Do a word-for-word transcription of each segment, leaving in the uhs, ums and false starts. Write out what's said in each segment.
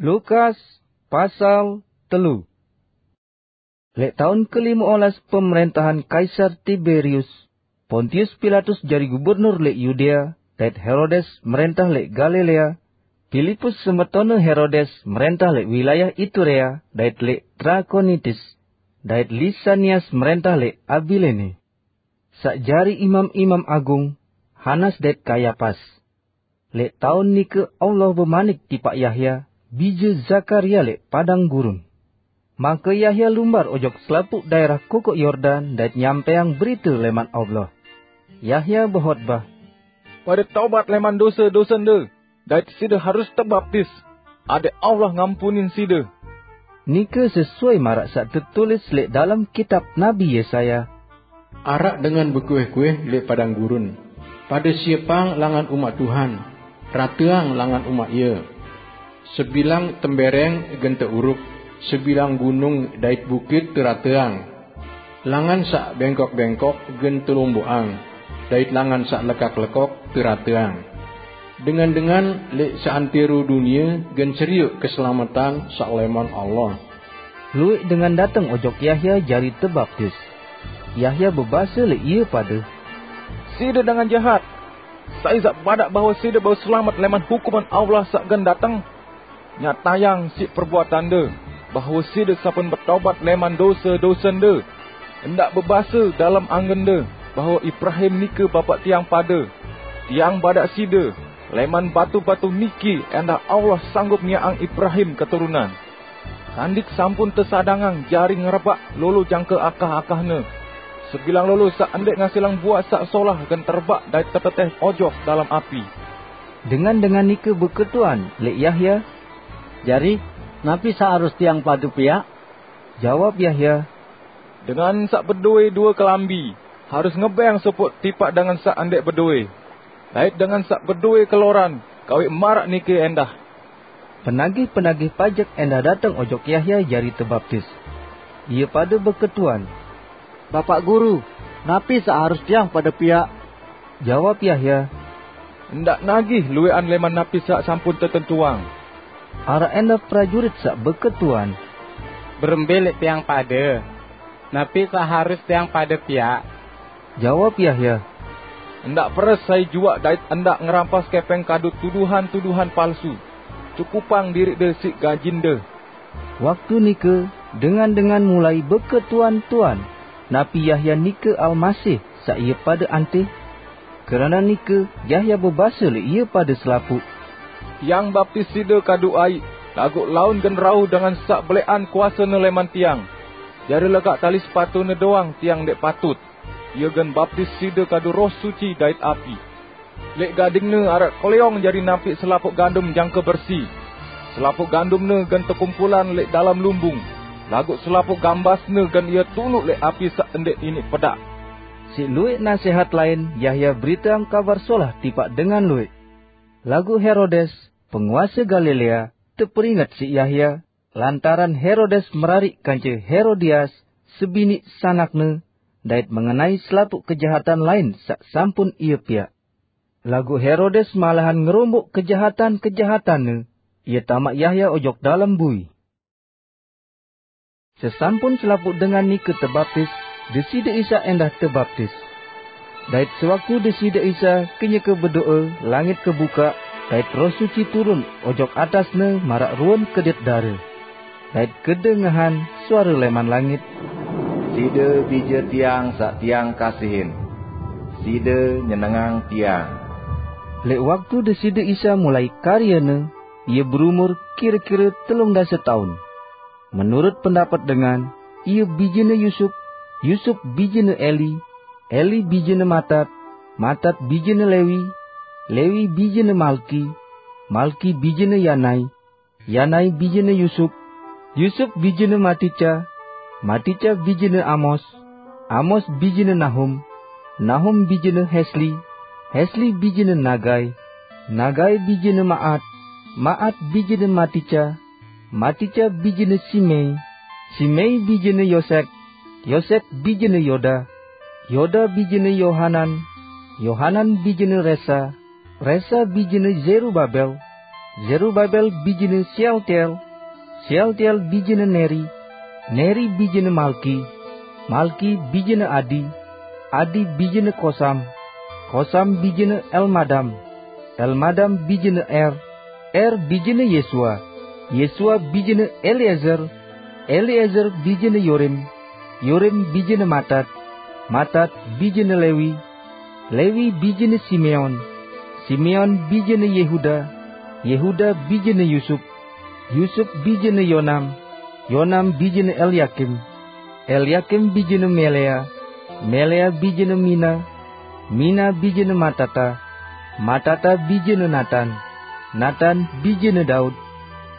Lukas pasal telu. Lek taun kelima olas pemerintahan Kaisar Tiberius, Pontius Pilatus jari gubernur lek Yudea, dait Herodes merentah lek Galilea, Filipus semetone Herodes merentah lek wilayah Iturea, dait lek Trakonitis, dait Lisanias merentah lek Abilene. Sak jari imam-imam agung, Hanas dait Kayapas. Lek taun nike Allah bemanik tipaq Yahya, bije Zakaria lek padang gurun. Make Yahya lumbar ojok selapuq daerah kukuk Yordan dait nyampeang berite leman Allah. Yahya behotbah, "Pade tobat leman dose-dosende, dait side harus tebaptis, adeq Allah ngampunin side." Nike sesuai maraq saq tetulis lek dalem kitab Nabi Yesaya, "Araq dengan bekuih-kuih lek padang gurun, 'Pade siepang langan umaq Tuhan, rateang langan umaq Ie. Sebilang tembereng gen teuruq, sebilang gunung dait bukit terateang. Langan saq bengkok-bengkok gen telomboqang, dait langan saq lekak-lekok terateang. Dengan-dengan lek seantero dunie gen serioq keselametan saq leman Allah.'" Lueq dengan dateng ojok Yahya jari tebaptis. Yahya bebase lek ie pade, "Side dengan jahat! Sai saq badaq bahwe side bau selamet leman hukuman Allah saq gen dateng? Nyatayang siq perbuatande bahwe side sampun betobat leman dose-dosende. Ndaq bebase dalem angende bahwe Ibrahim nike bapaq tiang pade. Tiang badaq side, leman batu-batu niki endah Allah sanggup nyiaqang Ibrahim keturunan. Sandik sampun tesadangang jari ngerebaq lolo jangke akah-akahne. Sebilang lolo saq ndeq ngasilang buah saq solah gen terebaq dait teteteh ojok dalem api." Dengan-dengan nike beketuan lek Yahya, "Jari, napi saq harus tiang pade piaq?" Jawab Yahya, "Dengan saq bedowe due kelambi harus ngebeng sopoq tipaq dengan saq ndeq bedowe, dait dengan saq bedowe keloran kawik maraq nike endah." Penagih-penagih pajek endah dateng ojok Yahya jari tebaptis. Ie pade beketuan, "Bapaq Guru, napi saq harus tiang pade piaq?" Jawab Yahya, "Ndaq nagih lueqan leman napi saq sampun tetentuang." Araq endah prajurit saq beketuan, "Berembe leq tiang pade? Napi saq harus tiang pade piaq?" Jawab Yahya, "Ndaq peres sai juaq dait ndaq ngerampas kepeng kadu tuduhan-tuduhan palsu. Cukupang diriqde siq gajinde." Waktu nike, dengan-dengan mulai beketuan-tuan, napi Yahya nike Almasih saq ie pade antih. Keranaq nike, Yahya bebase lek ie pade selapuq, "Tiang baptis side kadu aiq, laguq laun gen rauh dengan saq beleqan kuasene leman tiang. Jari lekaq tali sepatune doang tiang ndeq patut. Ie gen baptis side kadu Roh Suci dait api. Leq gadingne araq keleong jari nampiq selapuq gandum jangke bersi. Selapuq gandumne gen tekumpulan leq dalem lumbung, laguq selapuq gambasne gen ie tunuq leq api saq ndeq iniq pedaq." Siq lueq nasehat lain Yahya beriteang Kabar Solah tipaq dengan lueq. Laguq Herodes, penguase Galilea, teperinget siq Yahya, lantaran Herodes merariq kance Herodias, sebiniq sanakne, dait mengenai selapuq kejahatan lain saq sampun ie piaq. Laguq Herodes malahan ngeromboq kejahatan-kejahatanne, ie tamaq Yahya ojok dalem bui. Sesampun selapuq dengan nike tebaptis, Deside Isa endah tebaptis. Dait sewaktu Deside Isa kenyeke bedoe, langit kebukaq, dait Roh Suci turun ojok atasne maraq ruen kedit dare. Dait kedengehan suare leman langit, "Side Bije Tiang saq Tiang kasihin. Side nyenengang Tiang." Leq waktu Deside Isa mulai karyene, Ie berumur kire-kire telung dase taun. Menurut pendapet dengan, ie bijene Yusup, Yusup bijene Eli, Eli bijene Matat, Matat bijene Lewi, Lewi bijene Malki, Malki bijene Yanai, Yanai bijene Yusup, Yusup bijene Matica, Matica bijene Amos, Amos bijene Nahum, Nahum bijene Hesli, Hesli bijene Nagai, Nagai bijene Maat, Maat bijene Matica, Matica bijene Simei, Simei bijene Yosek, Yosek bijene Yoda, Yoda bijene Yohanan, Yohanan bijene Resa, Resa bijene Zerubabel, Serubabel bijina Sealtiel, Sealtiel bijina Neri, Neri bijina Malki, Malki bijina Adi, Adi bijina Kosam, Kosam bijina Elmadam, Elmadam bijina Er, Er bijina Yesua, Yesua bijina Elieser, Elieser bijina Yorim, Yorim bijina Matat, Matat bijina Lewi, Lewi bijina Simeon, Simeon bijina Yehuda, Yehuda bijina Yusup, Yusup bijina Yonam, Yonam bijina Elyakim, Elyakim bijina Melea, Melea bijina Mina, Mina bijina Matata, Matata bijina Natan, Natan bijina Daud,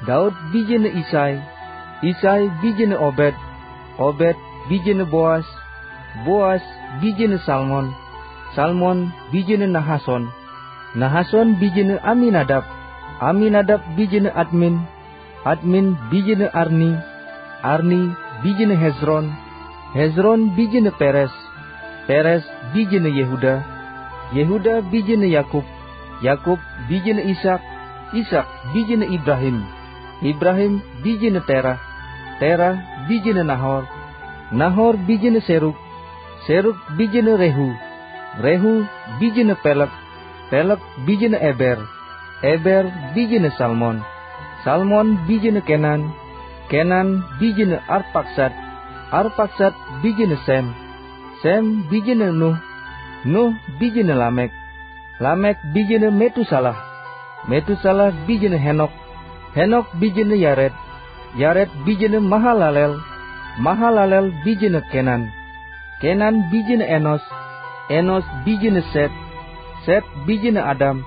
Daud bijina Isai, Isai bijina Obed, Obed bijina Boas, Boas bijina Salmon, Salmon bijina Nahason, Nahason bijina Aminadab, Aminadab bijina Admin, Admin bijina Arni, Arni bijina Hezron, Hezron bijina Peres, Peres bijina Yehuda, Yehuda bijina Yakub, Yakub bijina Ishak, Ishak bijina Ibrahim, Ibrahim bijina Terah, Terah bijina Nahor, Nahor bijina Seruk, Seruk bijina Rehu, Rehu bijina Pelek, Pelek bijina Eber, Eber bijina Salmon, Salmon bijina Kenan, Kenan bijina Arpaksad, Arpaksad bijina Sem, Sem bijina Nuh, Nuh bijina Lamek, Lamek bijina Metusalah, Metusalah bijina Henok, Henok bijina Yared, Yared bijina Mahalalel, Mahalalel bijina Kenan, Kenan bijina Enos, Enos bijina Set, Set bijina Adam,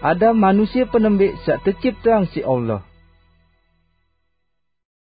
Adam manusia panembe saq tecipteang siq Allah.